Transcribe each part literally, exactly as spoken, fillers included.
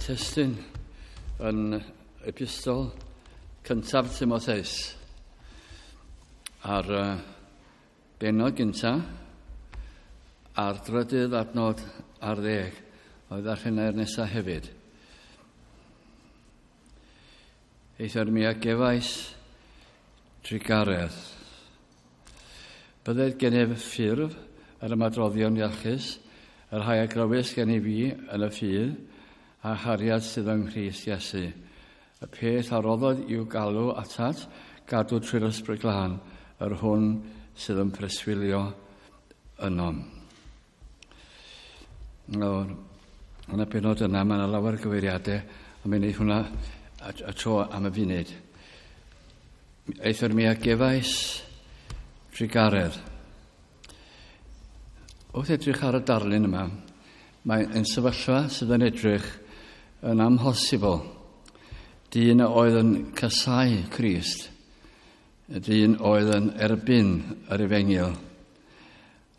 testun yn epistol cyntaf Timotheus a'r uh, bennod gyntaf a'r drydydd adnod ar ddeg oedd ddarllenau'r nesaf hefyd. Eithr mi a gefais trugaredd. Bydded gennyf ffurf yr ymadroddion iachus, yr rhai a glywais gennyf fi yn y ffydd, a chariad sydd yng Nghrist Iesu. Y peth a roddodd i'w galw atat, gadw trwy'r Ysbryd Glân, yr hwn sydd yn preswylio ynom. Nawr, yn y benod yna, mae yna lawer o gyfeiriadau, ond mi'n neud hwnna a, a tro am y funud. Eithr mi a gefais trugaredd. Wrth edrych ar y darlun yma, mae'n sefyllfa sydd yn edrych yn amhosibl. Dyn oedd yn casáu Crist, y dyn oedd yn erbyn yr efengyl.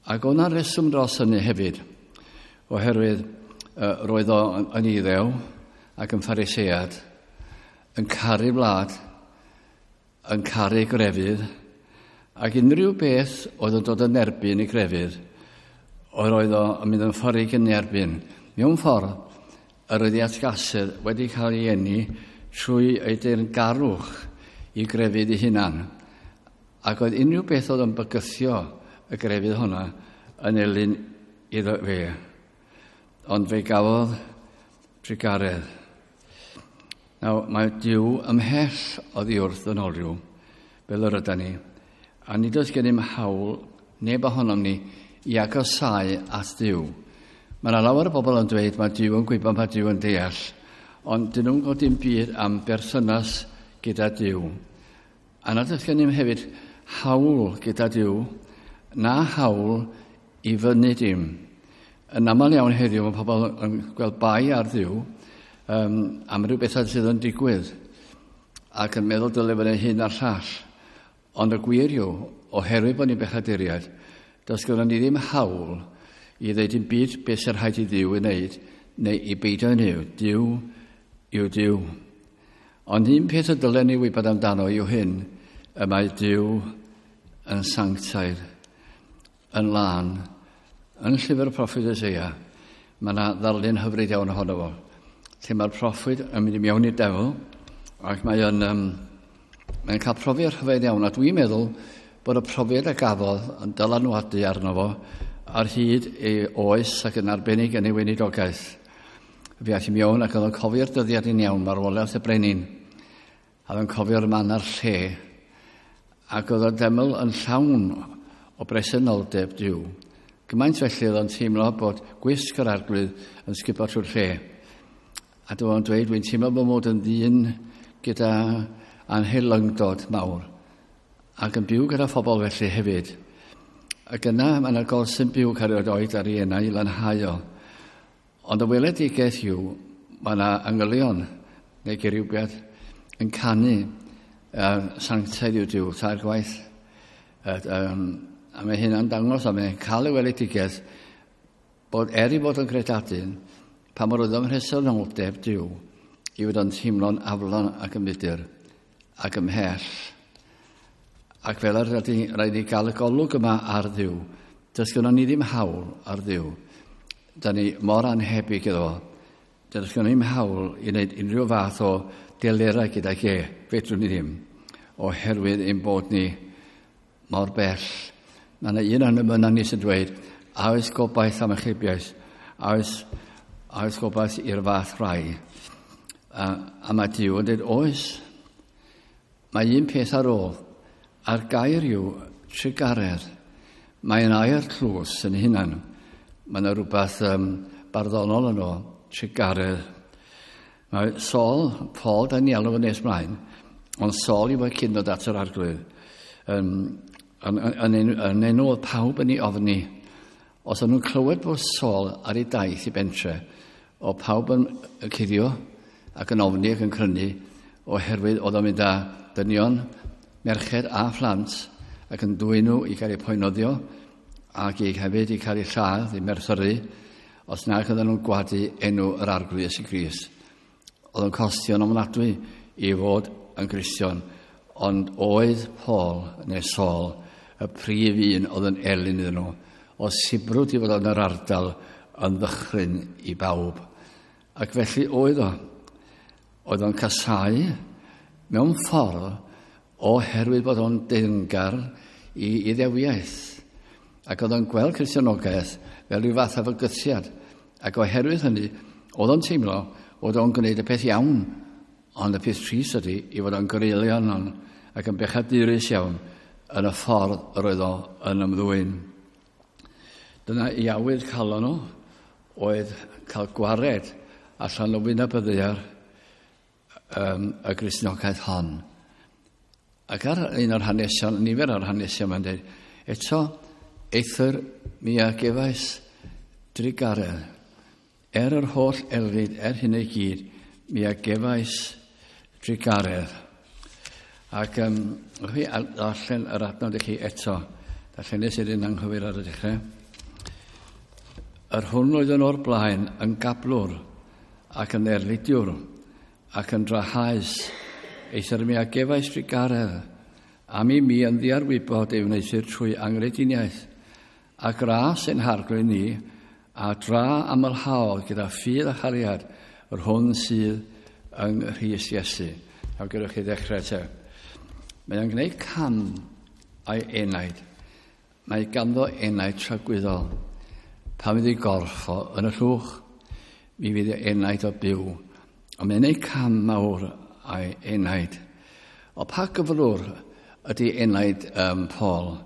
Ac oedd 'na reswm dros hynny hefyd, oherwydd uh, roedd o yn Iddew ac yn Pharisead, yn caru wlad, yn caru grefydd, ac unrhyw beth oedd yn dod yn erbyn i grefydd, oedd oedd o yn mynd yn ffordd yn erbyn. Mewn ffordd, yr oedd ei atgasedd wedi cael ei eni trwy ei deyrngarwch i grefydd ei hunan. Ac oedd unrhyw beth oedd yn bygythio y grefydd hwnna yn elyn iddo fe. Ond fe gafodd trugaredd. Nawr, mae Duw ymhell oddi wrth ddynolryw, fel yr ydan ni, a nid oes gennym hawl neb ohonom ni i agosáu at Dduw. Mae yna lawer o bobl yn dweud mae Duw yn gwybod, mae Duw yn deall, ond dyn nhw'n gwybod dim byd am berthynas gyda Duw. A nad oes gennym hefyd hawl gyda Duw, na hawl i fyny dim. Yn aml iawn heddiw mae pobl yn gweld bai ar Dduw um, am ryw bethau sydd yn digwydd ac yn meddwl dyle fod hyn a'r llall. Ond y gwir yw, oherwydd bod ni'n bechaduriaid, does gyda ni ddim hawl i ddeud dim byd beth sy'n rhaid i Dduw i wneud neu i beidio ei wneud. Duw yw Duw. Ond un peth y dylen ni wybod amdano yw hyn, y mae Duw yn sanctaidd, yn lân. Yn llyfr y proffwyd Eseia, mae yna ddarlun hyfryd iawn ohono fo, lle mae'r proffwyd yn mynd i mewn i'r deml, ac mae yn, um, mae'n cael profiad rhyfedd iawn, a dwi'n meddwl bod y profiad a gafodd yn dylanwadu arno fo ar hyd ei oes ac yn arbennig yn ei weinidogaeth. Fe aeth i mewn ac oedd o'n cofio'r dyddiad yn iawn, marwolaeth y brenin, a oedd o'n cofio'r man a'r lle, ac oedd y deml yn llawn o bresenoldeb Duw. Gymaint felly oedd o'n teimlo bod gwisg yr Arglwydd yn sgubo trwy'r lle. A dyma o'n dweud, dwi'n teimlo bod mod yn ddyn gyda anhelyngdod mawr, ac yn byw gyda phobl felly hefyd. Ac yna mae yna golsyn byw cael ei oed ar ei enau i lanhau o. Ond y weledigaeth yw, mae yna angylion neu geriwbiad yn canu uh, sanctaidd yw Duw, tair gwaith. Uh, um, a mae hynna'n dangos, a mae'n cael y weledigaeth bod er i fod yn gredadun, pa mor oedd ym mhresenoldeb Duw, i fod o'n teimlo'n aflon ac yn fudur ac ymhell. Ac fel yr rhaid ni gael y golwg yma ar Dduw. Does gynnon ni ddim hawl ar Dduw. Da ni mor anhebyg iddo fo. Does gynnon ni ddim hawl i wneud unrhyw fath o delerau gydag e. Fedrwn ni ddim. Oherwydd ein bod ni mor bell. Mae yna un o'n ymyna ni sy'n dweud, a oes gobaith am achubiaeth? A oes, a oes gobaith i'r fath rai? A, a mae Duw yn dweud, oes. Mae un peth ar ôl, a'r gair yw trugaredd. Mae'n air tlws yn hunan. Mae yna rhywbeth um, barddonol yno, trugaredd. Mae Saul, Paul, da ni alw yn nes mlaen, ond Saul yw e cyn dod at yr Arglwydd. Um, yn, yn, yn, yn enw oedd pawb yn ei ofni. Os o'n nhw'n clywed bod Saul ar ei daith i bentre, o pawb yn cuddio ac yn ofni ac yn crynu, oherwydd oedd o'n mynd â dynion, merched a phlant, ac yn dwyn nhw i gael eu poenoddio, ac i hefyd i cael eu lladd, i merthyru, os nag oedden nhw'n gwadu enw yr Arglwydd Iesu Grist. Oedd yn costio'n ofnadwy i fod yn Gristion, ond oedd Paul neu Saul y prif un oedd yn elyn iddyn nhw, o sibrwd i fod yn yr ardal yn ddychryn i bawb. Ac felly oedd o. Oedd o'n casáu mewn ffordd oherwydd bod o'n deyrngar i Iddewiaeth. Ac oedd o'n gweld Cristnogaeth fel rhyw fath o fygythiad. Ac oherwydd hynny, oedd o'n teimlo bod o'n gwneud y peth iawn, ond y peth trist ydy i fod o'n greulon ac yn bechadurus iawn yn y ffordd yr oedd o yn ymddwyn. Dyna i awydd calon o oedd cael gwared allan o wyneb y ddaear um, y Gristnogaeth hon. Ac ar un o'r hanesion, nifer o'r hanesion mae'n dweud, eto, eithr mi a gefais drugaredd. Er yr holl erlid, er hyn i gyd, mi a gefais drugaredd. Ac um, chi darllen yr adnod i chi eto. Darllenes i'r un anghywir ar y dechrau. Yr hwn oedd yn o'r blaen yn gablwr ac yn erlidiwr ac yn drahaus, eithr mi a gefais drugaredd am i mi yn ddiarwybod ei wneuthur trwy angrediniaeth, a gras ein Harglwydd ni, a dra amlhaodd gyda ffydd a chariad yr hwn sydd yng Nghrist Iesu. A gewch chi ddechrau te. Mae o'n gwneud cam a'i enaid. Mae ganddo enaid tragwyddol. Pan fydd ei gorff o yn y llwch, mi fydd ei enaid o byw. Ond mae'n gwneud cam mawr a'i enaid. O pa gyflwr ydy enaid um, Paul?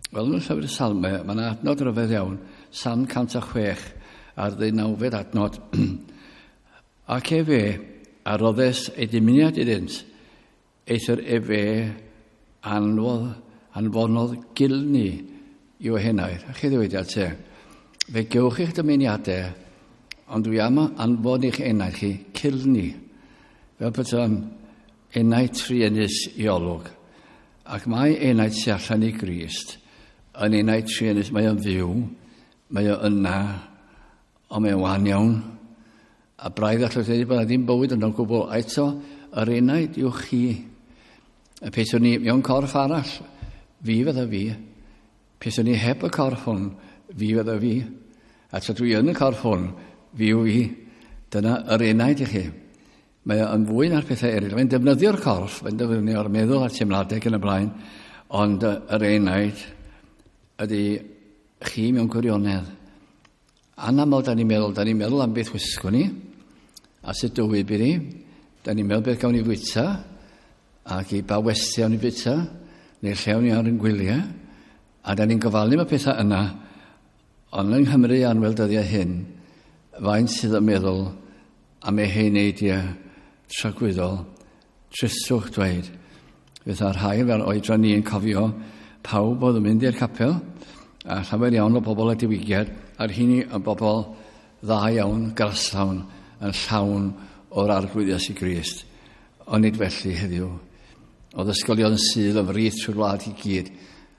Wel, yn y llyfr y Salmau, mae yna adnod rhyfedd iawn, Salm cant a chwech a'r ddeunawfed adnod. Ac efe a roddes ei dymuniad iddynt, eithr efe anfodd, anfonodd gilni i'w henaid. A chi ddywediad te, fe gewch eich dymuniadau, ond dwi am anfon eich enaid chi cilni, fel bod o'n enaid truenus i olwg. Ac mae enaid sy allan i Grist yn enaid truenus, mae o'n fyw, mae o yna, ond mae o'n wan iawn. A braidd allwch ddweud bod yna ddim bywyd yno'n gwbl. A eto, yr enaid yw chi. Y peth o'n i mewn corff arall, fi fydda fi. Peth o'n i heb y corff hwn, fi fydda fi. A tra dwi yn y corff hwn, fi yw fi. Dyna yr enaid i chi. Mae o'n fwy na'r pethau eraill. Mae'n defnyddio'r corff, mae'n defnyddio'r meddwl a'r teimladau yn y blaen, ond yr enaid ydy chi mewn gwirionedd. Anaml da ni'n meddwl, da ni'n meddwl am beth wisgwn ni, a sut dywy bydd ni, da ni'n meddwl beth gawn ni fwyta, ac i ba westy awn ni fwyta, neu lle awn ni ar yn gwyliau, a da ni'n gofalu am y pethau yna, ond yng Nghymru anwel dyddiau hyn, faint sydd yn meddwl am ei heneidiau tragwyddol, tristwch dweud. Fydd rhai fel oedran ni yn cofio pawb oedd yn mynd i'r capel, a llawer iawn o bobl y diwygiad, a'r hynny yn bobl dda iawn, graslawn, yn llawn o'r Arglwydd Iesu Grist. Ond nid felly heddiw. Oedd ysgolion Sul yn frith trwy'r wlad i gyd,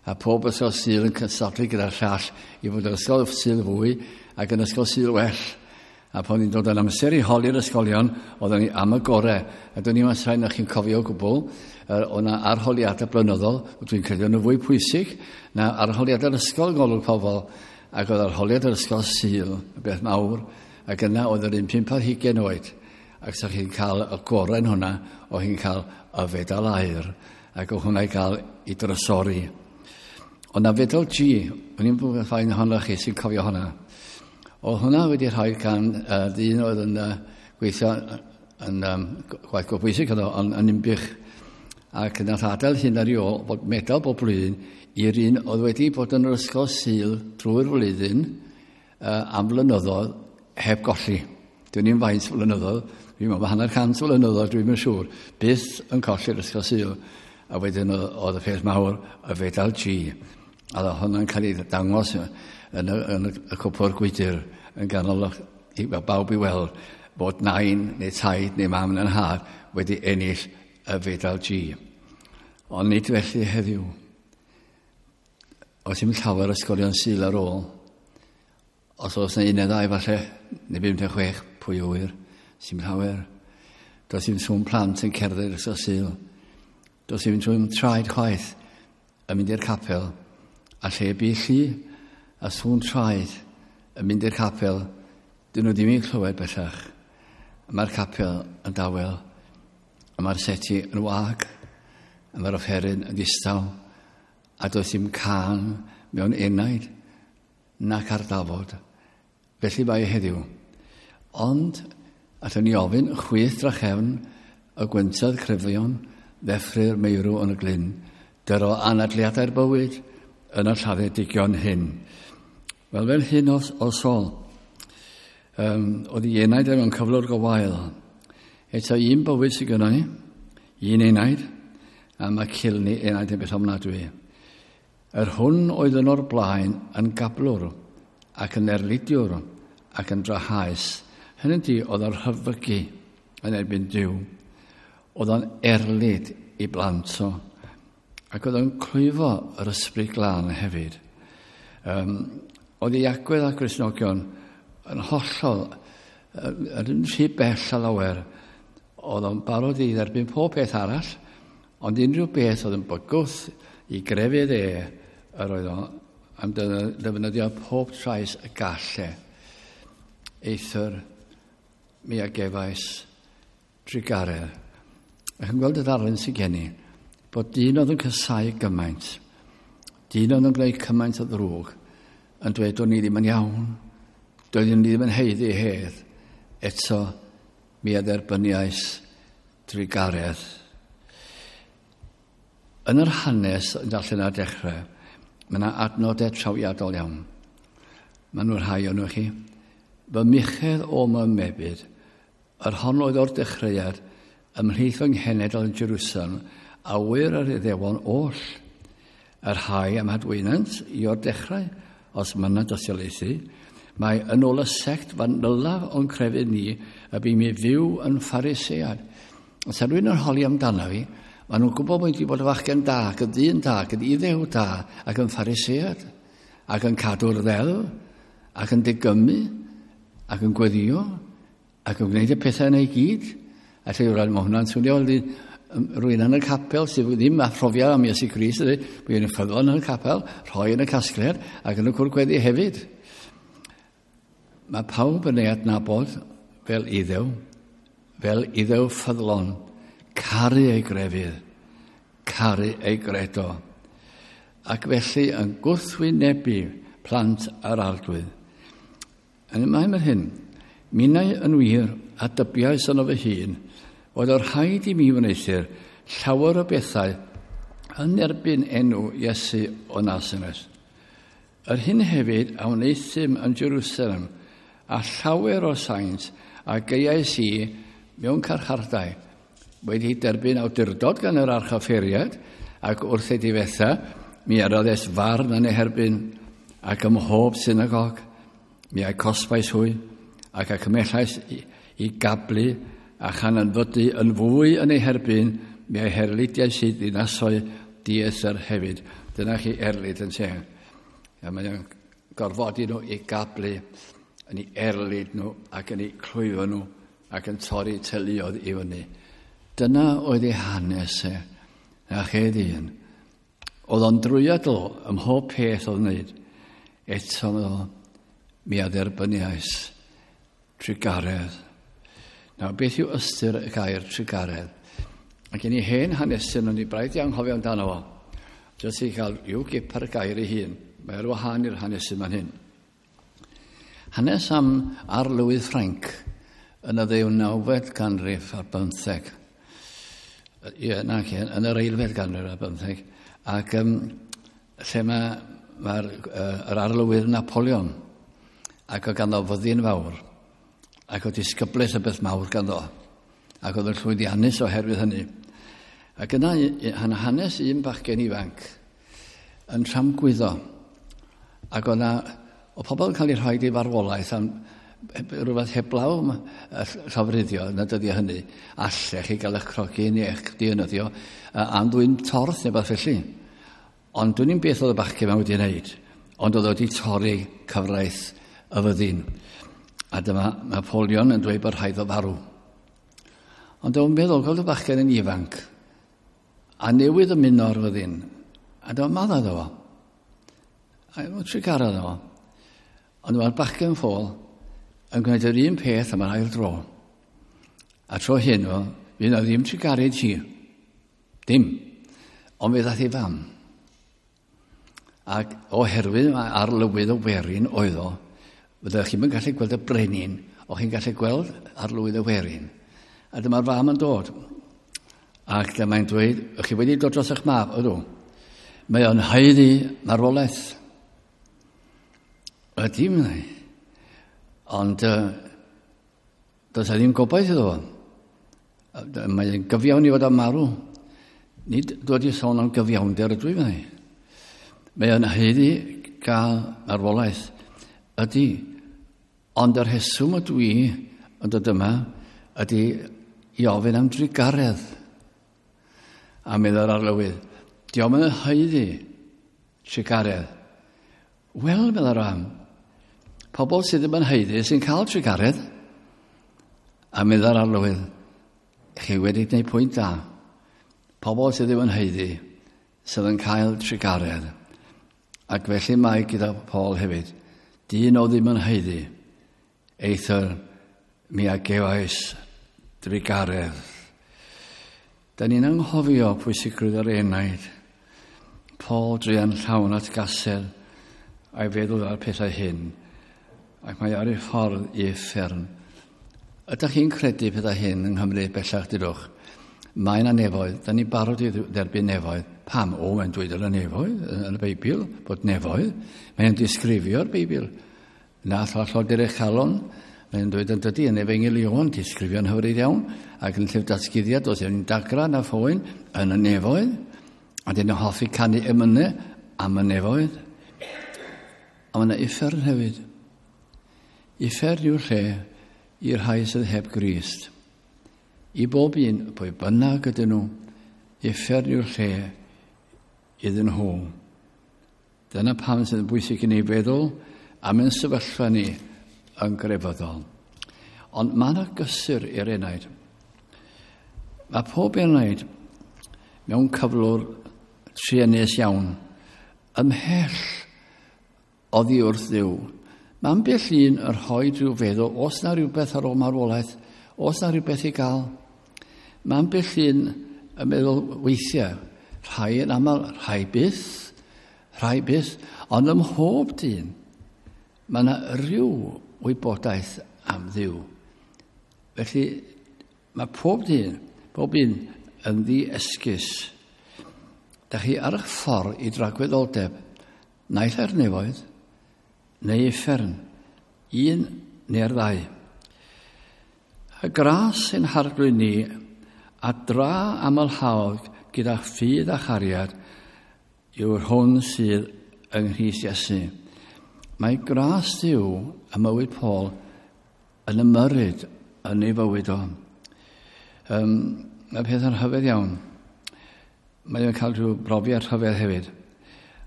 a pob ysgol Sul yn cystadlu gyda'r llall i fod yn ysgol Sul fwy ac yn ysgol Sul well. A pan ni'n dod yn amser i holi'r ysgolion, oedden ni am y gorau. A dwi'n i'n sain na chi'n cofio o gwbl, oedd yna arholiadau blynyddol, dwi'n credu yn y fwy pwysig, na arholiadau'r ysgol yng ngolwg pobl, ac oedd arholiad yr ysgol Sul, y beth mawr, ac yna oedd yr un pump ar hugain oed. Ac sa chi'n cael y gorau yn hwnna, oedd chi'n cael y fedal aur, ac oedd hwnna i gael i drysori. Ond na fedal G, o'n i'n bod ffain ohonoch chi sy'n cofio hwnna. Oedd hwnna wedi rhoi gan uh, ddyn oedd yn uh, gweithio yn um, gwaith go bwysig oedd o, yn, yn Ninbych. Ac nath adael hyn ar ei ôl bod medal bob blwyddyn i'r un oedd wedi bod yn yr ysgol Sul drwy'r flwyddyn uh, am flynyddoedd heb golli. Dwi'n i'n faint flynyddoedd, dwi'n meddwl hanner cant flynyddoedd, dwi'n yn siŵr, byth yn colli'r ysgol Sul. A wedyn oedd y peth mawr, y fedal G. A oedd hwnna'n cael ei dangos yn y, yn y cwpwr gwydr yn ganol i, bawb i weld bod nain neu taid neu mam neu'n nhad wedi ennill y fedal G. Ond nid felly heddiw. Oes dim llawer ysgolion Sul ar ôl. Os oes yna un neu ddau falle, neu bum neu chwech, pwy ŵyr, sy'n llawer. Does dim sŵn plant yn cerdded ysgol Sul. Does dim sŵn traed chwaith yn mynd i'r capel. A lle bu llu a sŵn traed yn mynd i'r capel, dyn nhw ddim yn clywed bellach. Mae'r capel yn dawel, a mae'r seti yn wag, a mae'r offeryn yn ddistaw, a does dim cân mewn enaid nac ar dafod. Felly mae heddiw. Ond, allwn ni ofyn chwyth drachefn y gwyntoedd cryfion ddeffry'r meirw yn y glyn, dyro anadliadau'r bywyd yn y lladdedigion hyn. Wel, fel hyn o, o Saul, um, oedd ei enaid mewn cyflwr go wael. Eto un bywyd sydd gynnon ni, un enaid, a mae cilni enaid yn beth ofnadwy. Yr hwn oedd yn o'r blaen yn gablwr ac yn erlidiwr ac yn drahaus. Hynny ydi, oedd o'n rhyfygu yn erbyn Duw. Oedd o'n erlid i blant o. Ac oedd o'n clwyfo yr ysbryd glân hefyd. Um, oedd ei agwedd ar Gristnogion yn hollol, yn rhy bell a lawer. Oedd o'n barod i dderbyn pob peth arall, ond unrhyw beth oedd yn bygwth i grefydd e, yr oedd o am ddefnyddio pob trais y gall e. Eithr mi a gefais drugaredd. Ac yn gweld y ddarlun sydd gen i, bod dyn oedd yn casáu gymaint, dyn oedd yn gwneud cymaint o ddrwg, yn dweud do'n i ddim yn iawn, doeddwn ni ddim yn haeddu hedd, eto mi a dderbyniais drugaredd. Yn yr hanes yn darllen ar dechrau, mae yna adnodau trawiadol iawn. Mae nhw'n rhai o'n nhw chi. Fy muchedd o my mebyd, yr hon oedd o'r dechreuad, ymhlith fy nghenedl yn Jerusalem, a wyr yr Iddewon oll, yr rhai am hadweinant i o'r dechrau, os mynant osiolaethu, mae yn ôl y sect fanylaf o'n crefydd ni, y bu mi fyw yn Pharisead. Os rhywun yn holi amdano fi, maen nhw'n gwybod bod wedi bod yn fachgen da, ac yn ddyn da, ac yn Iddew da, ac yn Pharisead, ac yn cadw'r ddeddf, ac yn digymu, ac yn gweddio, ac yn gwneud y pethau yna i gyd. A lle yw'r mae hwnna'n swnio rhywun yn y capel sydd ddim â phrofiad am Iesu Grist, ydy, bod yn ffyddlon yn y capel, rhoi yn y casgliad, ac yn y cwr gweddi hefyd. Mae pawb yn ei adnabod fel Iddew, fel Iddew ffyddlon, caru ei grefydd, caru ei gredo, ac felly yn gwrthwynebu plant yr Arglwydd. Yn y mae'n hyn, minnau yn wir a dybiais yno fy hun, oedd o'r rhaid i mi wneuthur llawer o bethau yn erbyn enw Iesu o Nasaret. Yr hyn hefyd a wneuthum yn Jerusalem, a llawer o saint a geiais i mewn carchardai, wedi derbyn awdurdod gan yr archoffeiriad, ac wrth ei difetha, mi aroddes farn yn ei herbyn, ac ym mhob synagog, mi a'i cosbais hwy, ac a cymellais i, i gablu, a chan anfydu yn fwy yn ei herbyn, mi a'i herlidiais i ddinasoedd dieithr hefyd. Dyna chi erlid yn te. A mae o'n gorfodi nhw i gablu, yn ei erlid nhw, ac yn ei clwyfo nhw, ac yn torri teuluoedd i fyny. Dyna oedd ei hanes e, na chi ddyn. Oedd o'n drwyadl ym mhob peth oedd wneud. Eto mi a dderbyniais trugaredd. Nawr, beth yw ystyr y gair trugaredd? Ac gen i hen hanesyn, o'n i braidd i anghofio amdano fo. Jyst i gael i'w gip ar y gair ei hun. Mae ar wahân i'r hanesyn fan hyn. Hanes am arlywydd Ffrainc yn y ddeunawfed ganrif ar bymtheg. Ie, na, yn yr eilfed ganrif ar bymtheg. Ac um, lle mae mae'r uh, yr arlywydd Napoleon, ac oedd ganddo fyddin fawr, ac oedd disgyblaeth y beth mawr ganddo, ac oedd yn llwyddiannus oherwydd hynny. Ac yna hanes un bachgen ifanc yn tramgwyddo, ac oedd yna, oedd pobl yn cael eu rhoi i farwolaeth am rhywbeth heblaw llofruddio yn y dyddiau hynny, allech chi gael eich crogi neu eich dienyddio am ddwyn torth neu beth felly. Ond dwi'n i'n beth oedd y bachgen yma wedi wneud, ond oedd wedi torri cyfraith y fyddin. A dyma Napoleon yn dweud bod rhaid o farw. Ond o'n meddwl, gweld y bachgen yn ifanc, a newydd ymuno o'r fyddin, a dyma madda iddo fo. A o'n trugaredd iddo fo. Ond mae'r bachgen ffôl yn gwneud yr un peth am yr ail dro. A tro hyn, o, fydd na ddim trugaredd hi. Dim. Ond fe ddaeth ei fam. Ac oherwydd mae arlywydd y werin oedd o, fyddech chi'n gallu gweld y brenin, o'ch chi'n gallu gweld arlywydd y werin. A dyma'r fam yn dod. Ac dyma'n dweud, ych chi wedi dod dros eich mab, ydw. Mae o'n haeddu marwolaeth. Ydy, meddai. Ond uh, does e ddim gobaith iddo fo. Mae'n gyfiawn i fod am marw. Nid dod i sôn am gyfiawnder ydw i, meddai. Mae o'n haeddu gael marwolaeth. Ydy. Ond yr rheswm ydw i yn dod yma ydy i ofyn am drugaredd. A meddai'r arlywydd, dio'm yn haeddu trugaredd. Wel, meddai'r fam, pobl sydd ddim yn haeddu sy'n cael trugaredd. A meddai'r arlywydd, chi wedi gwneud pwynt da. Pobl sydd ddim yn haeddu sydd yn cael trugaredd. Ac felly mae gyda Paul hefyd, dyn o ddim yn haeddu, eithr mi a gefais drugaredd. Da ni'n anghofio pwysigrwydd yr enaid. Paul druan llawn atgasedd a'i feddwl ar pethau hyn, ac mae ar ei ffordd i uffern. Ydych chi'n credu pethau hyn yng Nghymru bellach, dydwch? Mae yna nefoedd, da ni'n barod i dderbyn nefoedd. Pam? O, mae'n dweud yn y nefoedd, yn y Beibl, bod nefoedd. Mae'n disgrifio'r Beibl. Na thrallod eich calon, mae'n dweud yn dydy yn Efengyl Ioan, disgrifio'n hyfryd iawn, ac yn llyfr datguddiad, does dim dagra na phoen yn y nefoedd. A dyn nhw'n hoffi canu emynau am y nefoedd. A mae yna uffern hefyd. Uffern yw'r lle i'r rhai sydd heb Grist. I bob un, pwy bynnag ydyn nhw, uffern yw'r lle iddyn nhw. Dyna pam sydd yn bwysig i ni feddwl am ein sefyllfa ni yn grefyddol. Ond mae yna gysur i'r enaid. Mae pob enaid mewn cyflwr truenus iawn, ymhell oddi wrth Dduw. Mae ambell un yn rhoi rhyw feddwl, os na rhywbeth ar ôl marwolaeth, os na rhywbeth i gael. Mae ambell un yn meddwl weithiau, rhai yn aml, rhai byth, rhai byth, ond ym mhob dyn, mae yna rhyw wybodaeth am Dduw. Felly, mae pob dyn, pob un yn ddi-esgus. Da chi ar eich ffordd i dragwyddoldeb, naill ai'r nefoedd, neu uffern, un neu'r ddau. Y gras sy'n harglwydd ni, a dra amlhaodd gyda ffydd a chariad, yw'r hwn sydd yng Nghrist Iesu. Mae gras Duw ym mywyd Paul yn ymyrryd yn ei fywyd o. Um, mae pethau'n rhyfedd iawn. Mae o'n cael rhyw brofiad rhyfedd hefyd.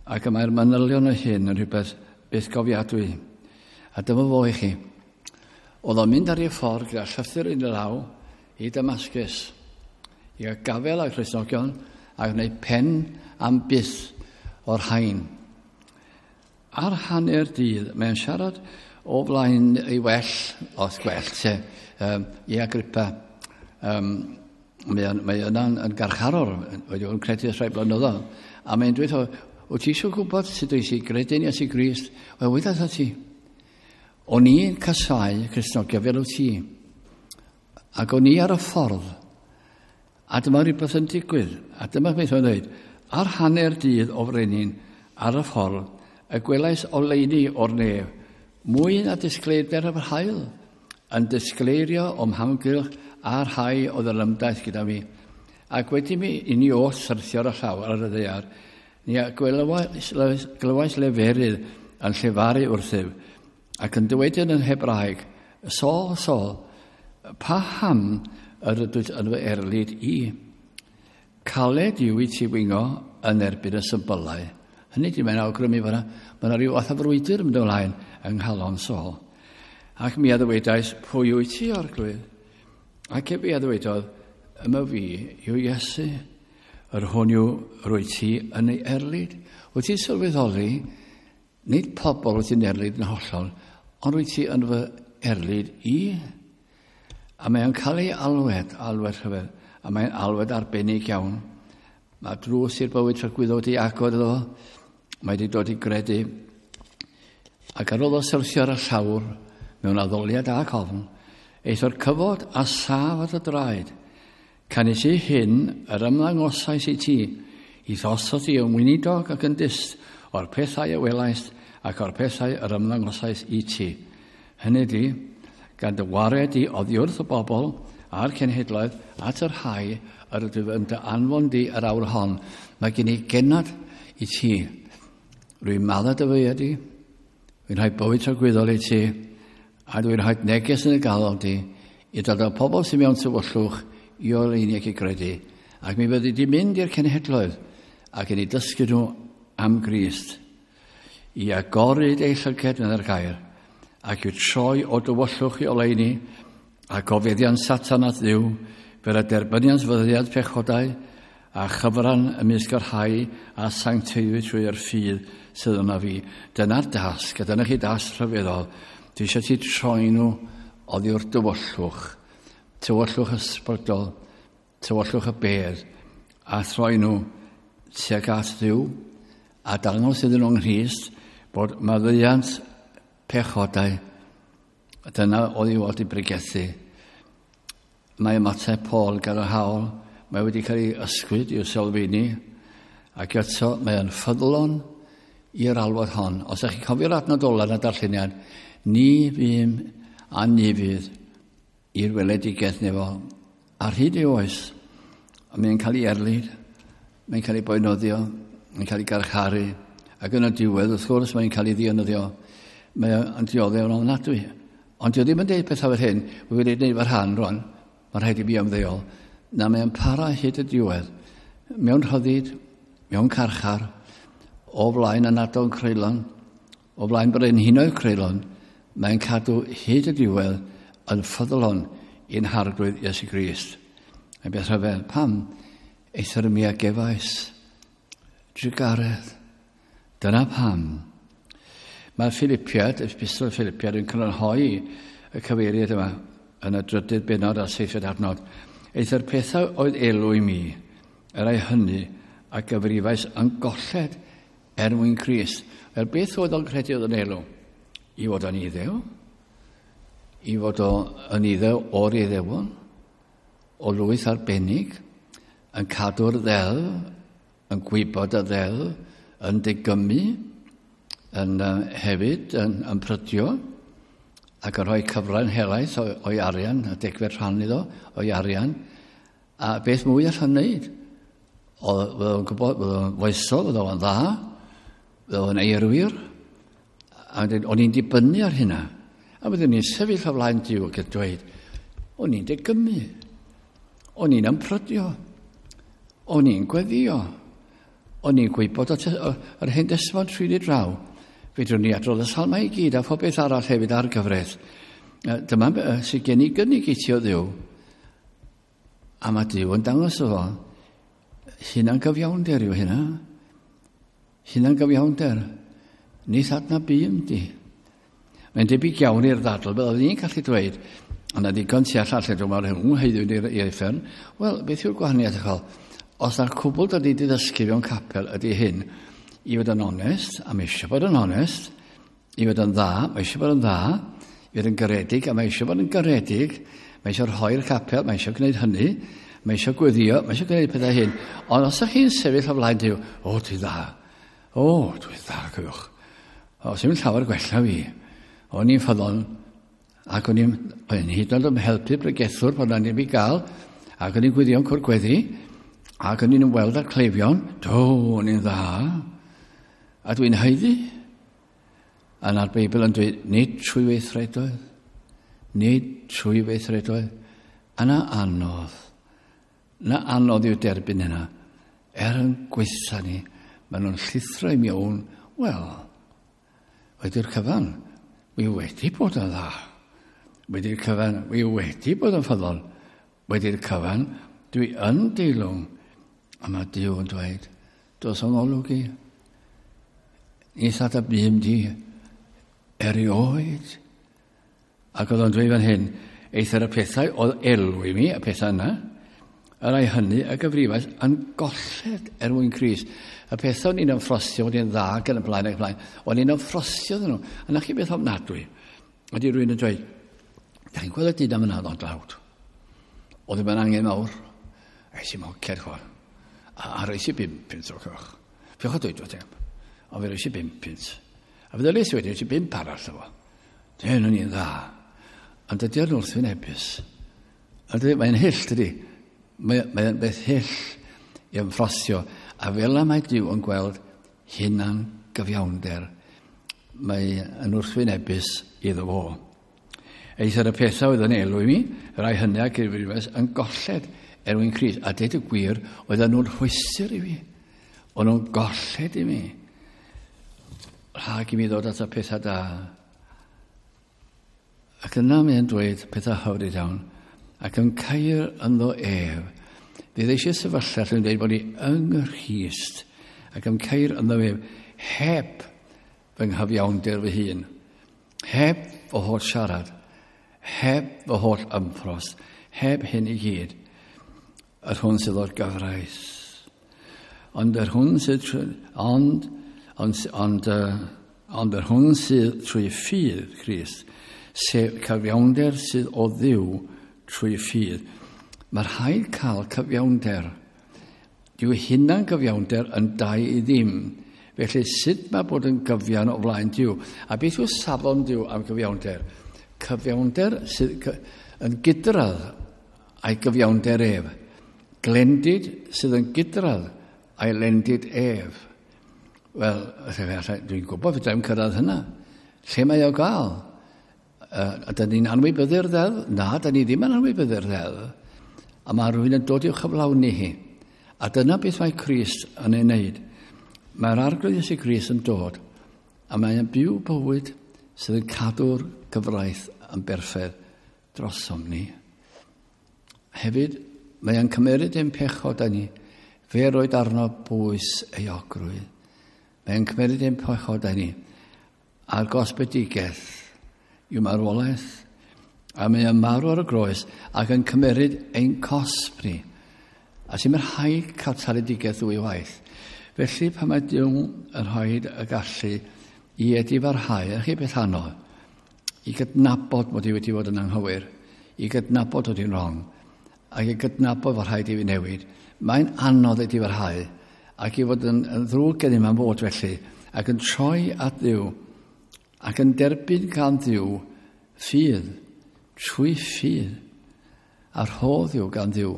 Ac y mae'r manylion o hyn yn rhywbeth byth gofiadwy. A dyma fo i chi. Oedd o'n mynd ar ei ffordd gyda llythyr yn ei law i Damascus, i gael gafael ar Cristnogion a gwneud pen am byth o'r rhain. Ar hanner dydd, mae'n siarad o flaen ei well, os gwell, te, um, i Agrippa. Um, mae o'n, mae yna'n yn garcharor, wedi bod yn credu ers rhai blynyddoedd. A mae'n dweud, wyt ti eisiau gwybod sut wyt ti gredu'n Iesu Grist? Wel, weud wrtha ti. O'n i'n casáu Cristnogion fel wyt ti. Ac o'n i ar y ffordd. A dyma rhywbeth yn digwydd. A dyma beth o'n dweud. Ar hanner dydd o frenin, ar y ffordd, y gwelais oleuni o'r nef, mwy na disgleirdeb yr haul, yn disgleirio o'm hamgylch a'r rhai oedd yr ymdaith gyda mi. Ac wedi mi i ni oll syrthio ar y llawr ar y ddaear, ni a glywais, glywais leferydd yn llefaru wrthyf, ac yn dweud yn Hebraeg, Saul, Saul, paham yr ydwyt yn fy erlid i? Caled yw i ti wingo yn erbyn y symbylau. Hynny di, mae'n awgrymu fyna, mae yna rhyw fath o frwydr yn mynd ymlaen yng nghalon Saul. Ac mi a ddywedais, pwy wyt ti, Arglwydd? Ac efe a ddywedodd, yma fi yw Iesu, yr hwn yw rwy ti yn ei erlid. Wyt ti'n sylweddoli, nid pobl wyt ti'n erlid yn hollol, ond wyt ti yn fy erlid i. A mae'n cael ei alwed, alwed rhyfedd, a mae'n alwed arbennig iawn. Mae drws i'r bywyd tragwyddol wedi agor iddo fo, mae wedi dod i gredu. Ac ar ôl o syrthio ar y llawr, mewn addoliad ac ofn, eithr cyfod a saf at y draed. Canys i hyn yr ymddangosais i ti, i ddosod i yn weinidog ac yn dyst o'r pethau a welaist ac o'r pethau yr ymddangosais i ti. Hynny di, gan dy wared di oddi wrth y bobl a'r cenhedloedd at yr rhai yr ydw yn dy anfon di yr awr hon. Mae gen i gennad i ti. Rwy'n maddau dy feiau di, rwy'n rhoi bywyd tragwyddol i ti, a dwi'n rhoi neges yn y galon di i dod â pobl sy'n mewn tywyllwch i oleuni ac i gredu. Ac mi fyddi di mynd i'r cenhedloedd ac yn ei dysgu nhw am Grist, i agoryd eu llyged yn yr gair, ac i'w troi o dywyllwch i oleuni, ac o feddiant Satan at Dduw, fel y derbyniant fyddiad pechodau, a chyfran ymysg yr rhai a sancteiddwyd trwy'r ffydd sydd yna fi. Dyna'r dasg, a dyna chi dasg rhyfeddol. Dwi eisiau ti troi nhw oddi wrth dywyllwch, tywyllwch ysbrydol, tywyllwch y bedd, a throi nhw tuag at Dduw, a dangos iddyn nhw'n Nghrist bod maddeuant pechodau. Dyna oedd i fod i bregethu. Mae ymateb Paul gan yr hawl, mae wedi cael ei ysgwyd i'w sylfeini, ac eto mae yn ffyddlon i'r alwad hon. Os ydych chi'n cofio'r adnod ola yn y darlleniad, ni fûm a ni fydd i'r weledigaeth nefol. Ar hyd ei oes, a mae'n cael ei erlid, mae'n cael ei boenoddio, mae'n cael ei garcharu, ac yn y diwedd, wrth gwrs, mae'n cael ei ddienyddio. Mae'n dioddef yn ofnadwy. Ond dio ddim yn deud pethau fel hyn, wy wedi gwneud fy rhan rwan, mae'n rhaid i fi ymddeol. Na, mae'n para hyd y diwedd, mewn rhyddid, mewn carchar, o flaen ynadon creulon, o flaen brenhinoedd creulon, mae'n cadw hyd y diwedd yn ffyddlon i'n harglwydd Iesu Grist. Mae'n beth rhyfedd, pam? Eithr mi a gefais drugaredd. Dyna pam. Mae Philippiad, Epistol Philippiad, yn crynhoi y cyfeiriad yma yn y drydydd bennod a seithfed adnod. Eithr pethau oedd elw i mi, yr ai hynny a gyfrifais yn golled er mwyn Crist. Wel, beth oedd o'n credu oedd yn elw? I fod yn iddew, i fod yn iddew o'r iddewon, o lwyth arbennig, yn cadw'r ddeddf, yn gwybod y ddeddf, yn digymu, yn uh, hefyd yn, yn prydio, ac yn rhoi cyfran helaeth o'i arian, a degfed rhan iddo o'i arian, a beth mwy allan wneud? Oedd o'n gwybod, oedd o'n foesol, oedd o'n dda, oedd o'n eirwyr, a o'n i'n dibynnu ar hynna. A byddwn ni'n sefyll o flaen Duw ac yn dweud, o'n i'n degymu, o'n i'n ymprydio, o'n i'n gweddio, o'n i'n gwybod yr Hen Destament trwy draw. Fedrwn ni adrodd y salmau i gyd a phob beth arall hefyd ar gyfraith. Dyma sydd gen i gynnig i ti o Dduw. A mae Duw yn dangos o fo, hunan gyfiawnder yw hynna. Hunan gyfiawnder. Nid adnabûm di. Mae'n debyg iawn i'r ddadl, byddwn ni'n gallu dweud, ond na ddigon tu allan lle dwi'n meddwl rhwng heddiw i'r uffern. Wel, beth yw'r gwahaniaeth echol? Os na'r cwbl da ni wedi ddysgu mewn capel ydy hyn, i fod yn onest, a mae eisiau bod yn onest, i fod yn dda, mae eisiau bod yn dda, i fod yn garedig, a mae eisiau bod yn garedig, mae eisiau rhoi'r capel, mae eisiau gwneud hynny, mae eisiau gweddio, mae eisiau gwneud pethau hyn. Ond os ydych chi'n sefyll o flaen Duw, o, dwi dda, o, dwi dda, cofiwch. O, sy'n llawer gwella fi. O'n i'n ffyddlon, ac o'n i'n hyd yn oed yn helpu bregethwr pan o'n i'n i gael, ac o'n i'n gweddio'n cwr gweddi, ac o'n i'n ymweld â'r cleifion, do, o'n i'n dda, a dwi'n haeddu. A na'r Beibl yn dweud, nid trwy weithredoedd, nid trwy weithredoedd, a na anodd, na anodd yw derbyn hynna, er yn gweitha ni, maen nhw'n llithro i mewn, wel, wedi'r cyfan, wi wedi bod yn dda. Wedi'r cyfan, wi wedi bod yn ffyddlon. Wedi'r cyfan, Dwi yn deilwng. A mae Duw yn dweud, dos o'n olwg i. Ni thad a bum di erioed. Ac oedd o'n dweud fan hyn, eithr y pethau oedd elw i mi, y pethau yna, y rhai hynny y gyfrifais yn golled er mwyn Crist. Y pethau o'n i'n ymffrostio, o'n i'n dda ac yn y blaen ac y blaen, o'n i'n ymffrostio ddyn nhw. A na chi beth ofnadwy. Ydy rhywun yn dweud, da chi'n gweld y dyn am yna o'n dlawd. Oedd ddim yn angen mawr. Eis i moced chwa. A, a roes i bum punt o'r coch. Fi'ch o dweud o tem. Ond fe roes i bum punt. A fe ddyles i wedyn, roes i bump arall efo. Dyn o'n i'n dda. Ond dydy o'n wrthwynebus. Ond mae'n hyll, dydy. Mae'n mae beth hyll i ymffrostio. A fel y mae Duw yn gweld hunan gyfiawnder, mae yn wrthwynebus iddo fo. Eithr y pethau oedd yn elw i mi, y rhai hynny a gyfrifais yn golled er mwyn Crist. A deud y gwir, oedden nhw'n rhwystr i fi. O'n nhw'n golled i mi. Rhag i mi ddod at y pethau da. Ac yna mae'n dweud pethau hyfryd iawn. Ac yn cair ynddo ef. Fydd eisiau sefyllfa lle yn dweud bod ni yng Nghrist ac yn cair ynddo ef heb fy nghyfiawnder fy hun. Heb fy holl siarad. Heb fy holl ymffrost. Heb hyn i gyd. Yr hwn sydd o'r gyfraith. Ond yr hwn sydd trwy, ond, ond, ond, uh, ond yr hwn sydd trwy ffydd Crist, sef cyfiawnder sydd o Dduw trwy ffydd. Mae rhaid cael cyfiawnder. Dyw hunan gyfiawnder yn dau i ddim. Felly sut mae bod yn gyfiawn o flaen Duw? A beth yw safon Duw am gyfiawnder? Cyfiawnder sydd yn gydradd a'i gyfiawnder ef. Glendid sydd yn gydradd a'i lendid ef. Wel, dwi'n gwybod fedra i'm cyrraedd hynna. Lle mae o gael? Uh, a dyn ni'n anwybyddu'r ddeddf? Na, dyn ni ddim yn anwybyddu'r ddeddf. A mae rhywun yn dod i'w chyflawni hi. A dyna beth mae Crist yn ei wneud. Mae'r Arglwydd Iesu Grist yn dod, a mae'n byw bywyd sydd yn cadw'r gyfraith yn berffaith drosom ni. Hefyd, mae'n cymeryd ein pechod â ni, fe roed arno bwys euogrwydd. Mae'n cymeryd ein pechod â ni, a'r gosbedigaeth yw marwolaeth, a mae'n marw ar y groes ac yn cymeryd ein cosb ni. A sy'n rhaid cael taledigaeth ddwy waith. Felly pan mae Duw yn rhoi y gallu i edifarhau, a chi beth anodd, i gydnabod mod i wedi bod yn anghywir, i gydnabod bod i'n wrong, ac i gydnabod fod rhaid i fi newid, mae'n anodd edifarhau, ac i fod yn, yn ddrwg gennym am fod felly, ac yn troi at Dduw, ac yn derbyn gan Dduw ffydd, trwy ffydd, a rhodd yw gan Dduw.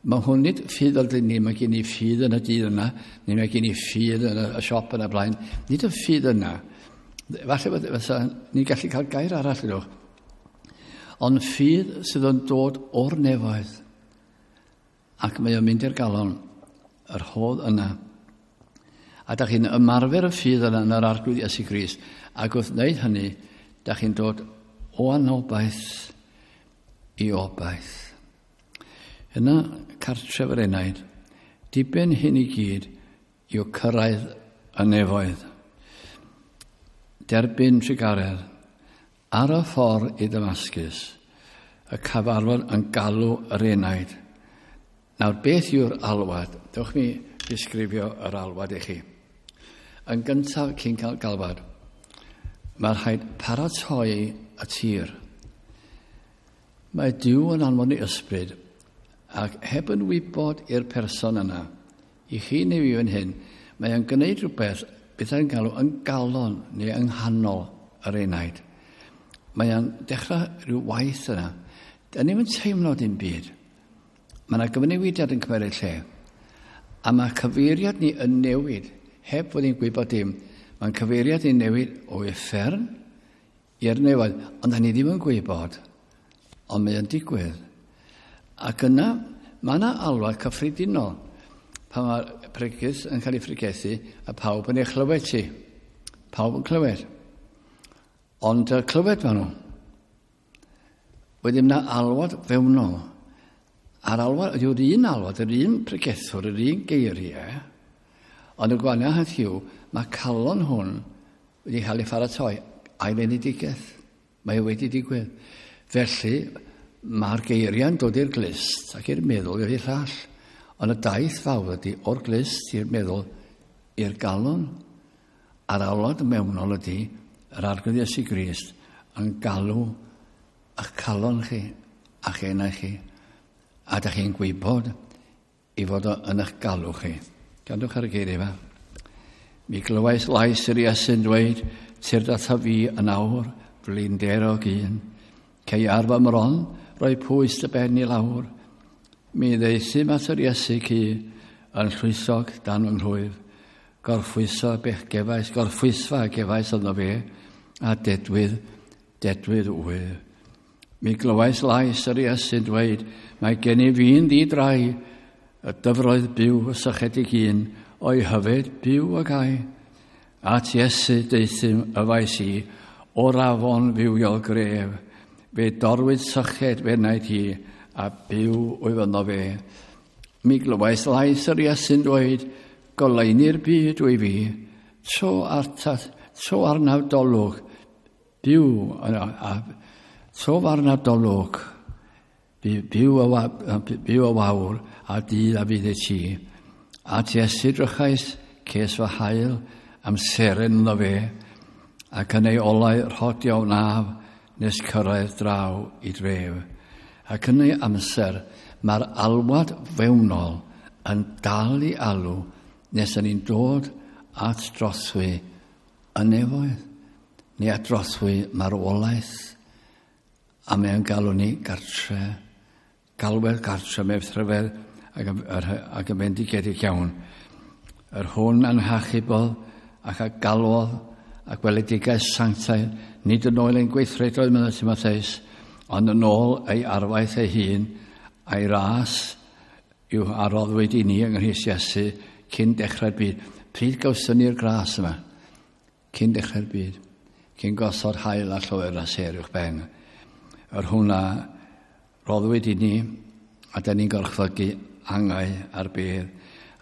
Mae hwn nid ffydd fel dyn ni, mae gen i ffydd yn y dydd yna, neu mae gen i ffydd yn y siop yn y blaen. Nid y ffydd yna. Falle fysa ni'n gallu cael gair arall ydwch. Ond ffydd sydd yn dod o'r nefoedd, ac mae o'n mynd i'r galon, yr rhodd yna. A da chi'n ymarfer y ffydd yna yn yr Arglwydd Iesu Grist, ac wrth wneud hynny, da chi'n dod o anobaith i obaith. Yna cartref yr enaid, diben hyn i gyd yw cyrraedd y nefoedd. Derbyn trugaredd ar y ffordd i Damascus, y cyfarfod yn galw yr enaid. Nawr, beth yw'r alwad? Dewch mi ddisgrifio yr alwad i chi. Yn gyntaf, cyn cael galwad, mae rhaid paratoi y tir. Mae Duw yn anfon ei ysbryd, ac heb yn wybod i'r person yna, i chi neu fi fan hyn, mae o'n gwneud rhywbeth beth yn galw yn galon neu yng nghanol yr enaid. Mae o'n dechrau rhyw waith yna. Da ni'm yn teimlo dim byd. Mae yna gyfnewidiad yn cymryd lle. A mae cyfeiriad ni yn newid, heb fod ni'n gwybod dim. Mae'n cyfeiriad ni'n newid o uffern i'r nefoedd, ond da ni ddim yn gwybod, ond mae o'n digwydd. Ac yna, mae yna alwad cyffredinol. Pan mae'r pregeth yn cael ei phregethu, a pawb yn ei chlywed ti. Pawb yn clywed. Ond uh, clywed maen nhw. Wedyn yna alwad fewnol. A'r alwad, yw'r un alwad, yr un pregethwr, yr un geiriau, ond y gwahaniaeth yw, mae calon hwn wedi cael ei pharatoi a'i enedigaeth. Mae wedi digwydd. Felly, mae'r geiriau'n dod i'r glust ac i'r meddwl i'r llall. Ond y daith fawr ydy o'r glust i'r meddwl i'r galon. A'r alwad mewnol ydy yr Arglwydd Iesu Grist yn galw eich calon chi a'ch enau chi. A da chi'n gwybod i fod o yn eich galw chi. Gandwch ar y geiriau yma. Mi glywais lais yr Iesu'n dweud, tyrd ata fi yn awr, flinderog un. Cei ar fy mron, roi pwys dy ben i lawr. Mi ddeithum at yr Iesu cu yn llwysog dan fy nghlwyf. Gorffwyso bech gefais, gorffwysfa gefais ynddo fe, a dedwydd, dedwydd wyf. Mi glywais lais yr Iesu'n dweud, mae gen i fi'n ddi-drai, y dyfroedd byw y sychedig un, o'i hyfed byw ag ai. At Iesu deuthum y faes i, o'r afon fywiol gref, fe dorwyd syched fe wnaed hi, a byw wyf ynddo fe. Mi glywais lais yr Iesu'n dweud, goleuni'r byd wy fi, tro, artat, tro arnaf dolwg, byw, a, a, tro arnaf dolwg, byw y, byw y wawr, a dydd a fydd i ti. At Iesu drychais, ces fy hael, am seren ynddo fe, ac yn ei olau rhodio wnaf, nes cyrraedd draw i dref. Ac yn ei amser, mae'r alwad fewnol yn dal i alw nes yn ni'n dod at drothwy y nefoedd, neu at drothwy marwolaeth, a mae'n galw ni gartre, galwedd gartre, mewn rhyfedd ac, ac yn fendigedig iawn. Yr hwn a'n hachubodd ac a galwodd a gweledigaeth sanctaidd, nid yn ôl ein gweithredoedd, meddai Timotheus, ond yn ôl ei arfaeth ei hun a'i ras yw a roddwyd i ni yng Nghrist Iesu cyn dechrau'r byd. Pryd gawson ni'r gras yma? Cyn dechrau'r byd. Cyn gosod haul a lloer a sêr uwch ben. Yr hwnna roddwyd i ni, a da ni'n gorchfygu angau ar bedd.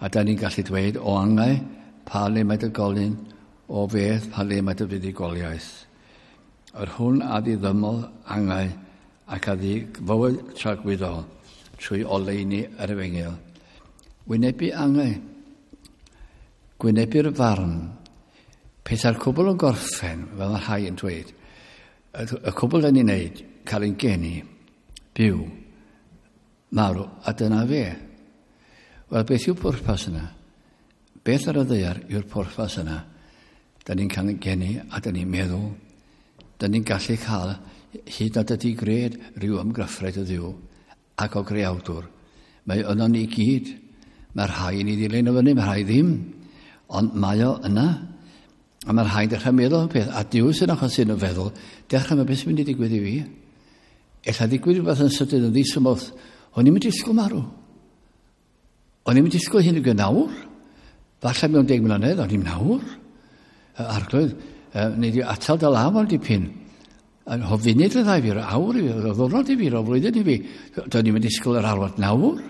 A da ni'n gallu dweud o angau pa le mae dy golyn, o fedd pa le mae dy fuddugoliaeth. Yr hwn a ddiddymodd angau ac a ddig fywyd tragwyddol trwy oleuni yr efengyl. Wynebu angau, gwynebu'r farn, petai'r cwbl yn gorffen, fel mae rhai yn dweud, y cwbl da ni'n neud, cael ein geni, byw, marw, a dyna fe. Wel, beth yw'r pwrpas yna? Beth ar y ddaear yw'r pwrpas yna? Da ni'n cael ein geni a da ni'n meddwl. Da ni'n gallu cael hyd nad ydy gred rhyw ymgyffred o Dduw ac o greawdwr. Mae yno ni gyd. Mae rhai ni ddilyn o fyny, mae rhai ddim. Ond mae o yna. A mae rhai'n dechrau meddwl am peth. A Duw sy'n achos sy'n o feddwl, dechrau mae beth sy'n mynd i digwydd i fi. Ella digwydd rhywbeth yn sydyn yn ddisymwth. O'n i'n mynd i disgwyl marw. O'n i'n mynd i disgwyl hyn i nawr. Falle mewn deg mlynedd, o'n i'n nawr. Arglwydd, neu di atal dy law am dipyn. O funud y ddau fi, o awr i fi, o ddwrnod i fi, o flwyddyn i fi. Do'n i'n mynd disgwyl yr alwad nawr.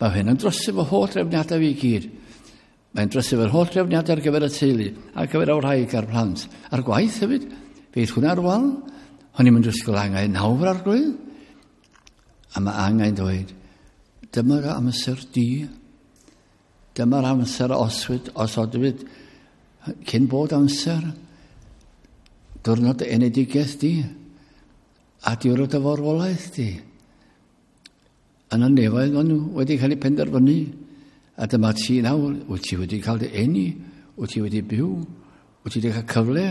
Mae hyn yn drysu fy holl drefniadau fi i gyd. Mae'n drysu fy'r holl drefniadau ar gyfer y teulu, ar gyfer y wraig a'r plant. A'r gwaith hefyd. Fydd hwnna ar wal. O'n i'n mynd disgwyl angau nawr, arglwydd. A mae angau'n dweud, dyma'r amser di. Dyma'r amser oswyd, osodwyd, cyn bod amser. Diwrnod enedigaeth di. A diwrnod y farwolaeth di. Yn y nefoedd maen nhw wedi cael eu penderfynu. A dyma ti nawr, wyt ti wedi cael dy eni, wyt ti wedi byw, wyt ti wedi cael cyfle,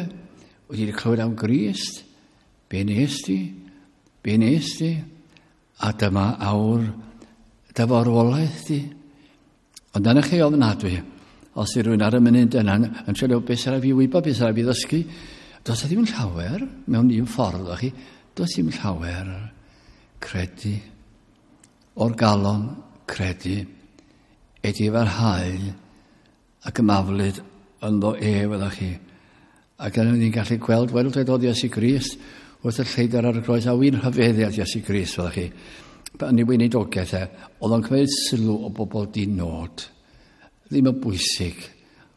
wyt ti wedi clywed am Grist. Be nes di? Be nes di? A dyma awr dy farwolaeth di. Ond dyna chi ofnadwy, os yw rhywun ar y munud yna yn trio beth sy'n rhaid fi wybod, beth sy'n rhaid fi ddysgu, does e ddim llawer mewn un ffordd o chi, does ddim llawer credu. O'r galon credu, edifarhau ac ymaflyd ynddo ef ydych chi. Ac yna ni'n gallu gweld, weld dweud oedd Iesu Grist wrth y lleidr ar y groes, a wy'n rhyfeddu at Iesu Grist, ydych chi. yn ei weinidogaeth e, oedd o'n cymryd sylw o bobl di-nod. Ddim yn bwysig.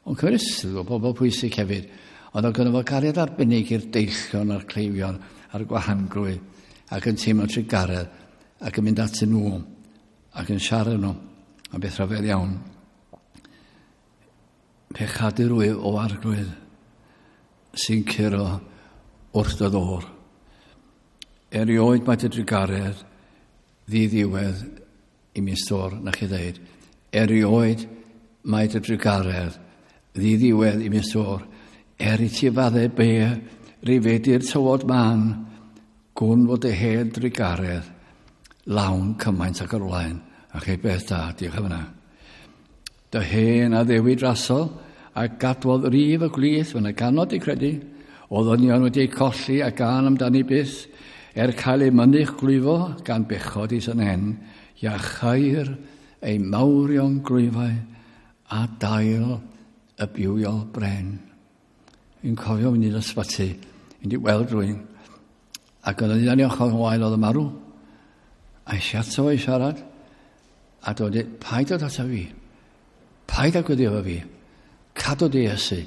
Ond cymryd sylw o bobl pwysig hefyd. Ond oedd gynno fo gariad arbennig i'r deillion a'r cleifion a'r gwahanglwydd ac yn teimlo trugaredd ac yn mynd atyn nhw ac yn siarad nhw am beth rhyfedd iawn. Pechadur wyf o Arglwydd sy'n curo wrth dy ddôr. Erioed mae dy drugaredd ddiddiwedd i mi stôr, na chi ddeud. Erioed mae dy drugaredd ddiddiwedd i mi stôr. Er i ti faddau be, rifedi'r tywod man, gwn fod dy hen drugaredd lawn cymaint ac o'r blaen. A chi beth da, diolch am hynna. Dy hen addewid rasol a gadwodd rif y gwlith, fy'n y ganod i credu, o ddynion wedi eu colli a gan amdani byth, er cael ei mynych glwyfo gan bechod is yn hen, iachair ei mawrion glwyfau a dail y bywiol bren. Fi'n cofio mynd i'r ysbyty, mynd i weld rhywun, ac oedd yn un ochr yn wael oedd y marw. A eisiau ato fo i siarad, a dod i, paid dod ato fi, paid â gweddio efo fi, cadw di Iesu,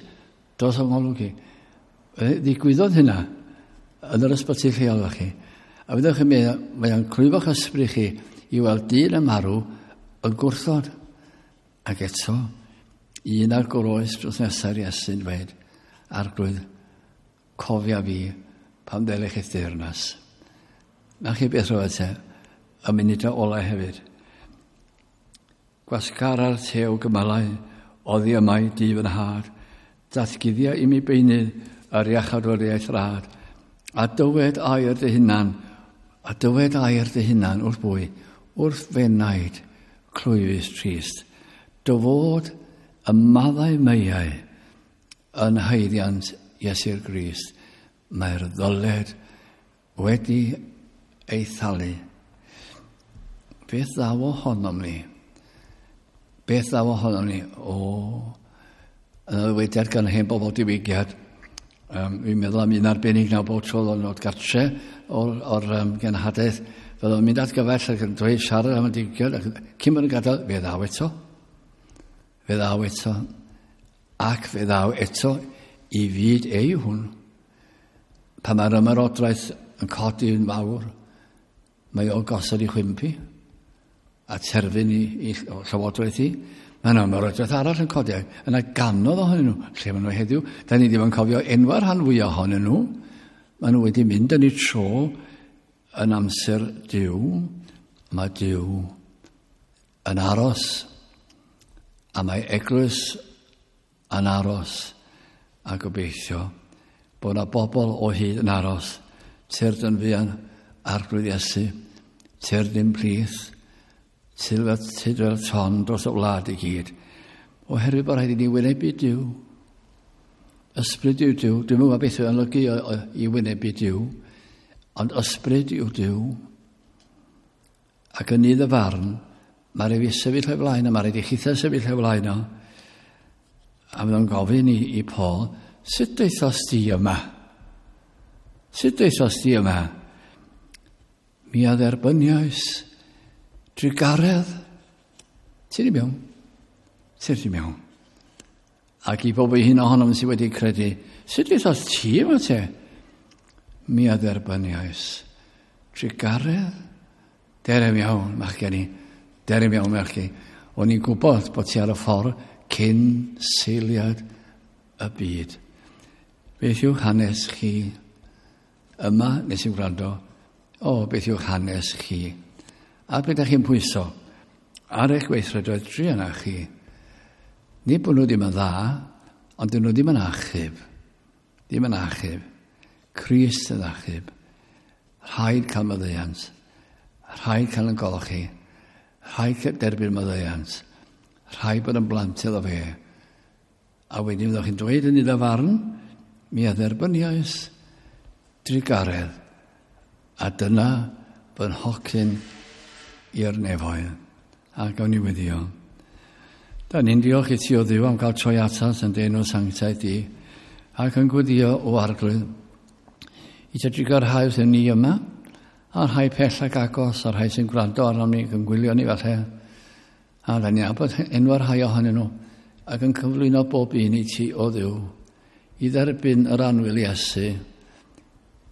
dos o'n ngolwg i. Ddigwyddodd hynna yn yr ysbyty lleol efo chi. A fyddwch chi'n meddwl, mae o'n clwyfo'ch ysbryd chi i weld dyn y marw yn gwrthod. Ac eto, un ar groes dros nesa'r Iesu'n dweud, Arglwydd, cofia fi pan ddelech eich deyrnas. Na chi beth roedd te, y munudau olau hefyd. Gwasgara'r tew gymalau, oddi yma i di fy nhad, datguddia i mi beunydd yr iachawdwriaeth rad, a dywed air dy hunan, a dywed air dy hunan wrth bwy, wrth fenaid clwyfus trist, dy fod y maddau meiau yn haeddiant Iesu'r Grist, mae'r ddyled wedi ei thalu. Beth ddaw ohonom ni? Beth ddaw ohonom ni? O, yn y ddywediad gan hen bobl diwygiad, um, fi'n meddwl am un arbennig nawr bob tro o'n dod gartre o'r, or, um, genhadaeth, fel o'n mynd at gyfell ac yn dweud siarad am y diwygiad, ac cyn bod yn gadael, fe ddaw eto. Fe ddaw eto. Ac fe ddaw eto i fyd ei hwn. Pan mae'r ymerodraeth yn codi yn fawr, mae o'n gosod i chwympi a terfyn i, i llywodraeth i. Mae yna ymerodraeth arall yn codi. Yna ganodd ohonyn nhw. Lle maen nhw heddiw? Da ni ddim yn cofio enwau'r rhan fwyaf ohonyn nhw. Maen nhw wedi mynd yn eu tro yn amser Duw. Mae Duw yn aros. A mae eglwys yn aros. A gobeithio bod yna bobl o hyd yn aros. Tyrd yn fuan Arglwydd Iesu. Tyrd i'n plith. Tyd fel ton dros y wlad i gyd. Oherwydd bod rhaid i ni wynebu Duw. Ysbryd yw Duw. Dwi'm yn gwybod beth yw'n olygu i wynebu Duw. Ond ysbryd yw Duw. Ac yn nydd y farn, mae rhaid i fi sefyll o'i flaen o, mae rhaid i chithau sefyll o'i flaen o. A fydd o'n gofyn i, i Paul, sut daethost di yma? Sut daethost di yma? Mi a dderbyniais drugaredd. Ti'n i mewn? Ti'n i mewn? Ac i bob un ohonom sydd wedi credu, sut daethost ti yma te? Mi a dderbyniais trugaredd. Derem iawn, machgen i. Derem iawn, machgen. O'n i'n gwybod bod ti ar y ffordd cyn seiliad y byd. Beth yw'ch hanes chi? Yma, nes i'n gwrando, o, beth yw'ch hanes chi? A beth ydych chi'n pwyso? Ar eich gweithredoedd druan â chi. Nid bod nhw ddim yn dda, ond dyn nhw ddim yn achub. Ddim yn achub. Crist yn achub. Rhaid cael maddeuant. Rhaid cael yn golchi. Rhaid derbyn maddeuant. Rhaid bod yn blant iddo fe. A wedyn fyddwch chi'n dweud yn iddo farn, mi a dderbyniais drugaredd. A dyna fy nhocyn i'r nefoedd. A gawn ni weddio. Da ni'n diolch i ti o Dduw am gael troi atat yn dy enw sanctaidd di, ac yn gweddio o Arglwydd i ti drugarhau wrthym ni yma, A rhai pell ac agos, a rhai sy'n gwrando arnom ni, yn gwylio ni falle. A da ni'n nabod enwau rhai ohonyn nhw, ac yn cyflwyno bob un i ti o Dduw, i dderbyn yr annwyl Iesu,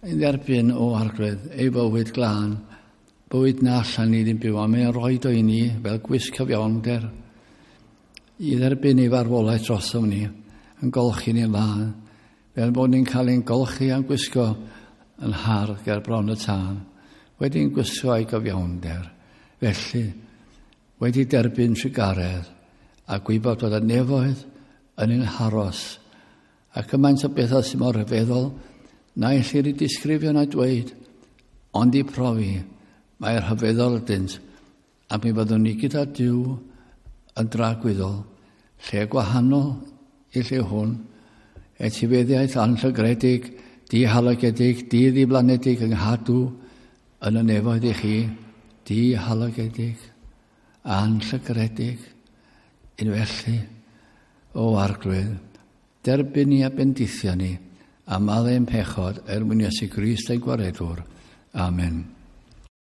i dderbyn o Arglwydd ei fywyd glân, bywyd na allan ni ddim byw, a mae'n rhoi o i ni fel gwisg cyfiawnder, i dderbyn ei farwolaeth drosom ni, yn golchi ni'n lân, fel bod ni'n cael ein golchi a'n gwisgo yn hardd ger bron y tân, wedi'n gwisgo ei gyfiawnder. Felly, wedi derbyn trugaredd a gwybod bod y nefoedd yn ein haros, a cymaint o bethau sy'n mor rhyfeddol, na ellir ei disgrifio na dweud, ond i profi, mae'r rhyfeddol ydynt, a mi fyddwn ni gyda Duw yn dragwyddol, lle gwahanol i lle hwn, etifeddiaeth anllygredig, dihalogedig, diddiflanedig yng nghadw yn y nefoedd i chi, dihalogedig, anllygredig, un felly, o Arglwydd, derbyn ni a bendithio ni, a maddau'n pechod er mwyn Iesu Grist ein Gwaredwr. Amen.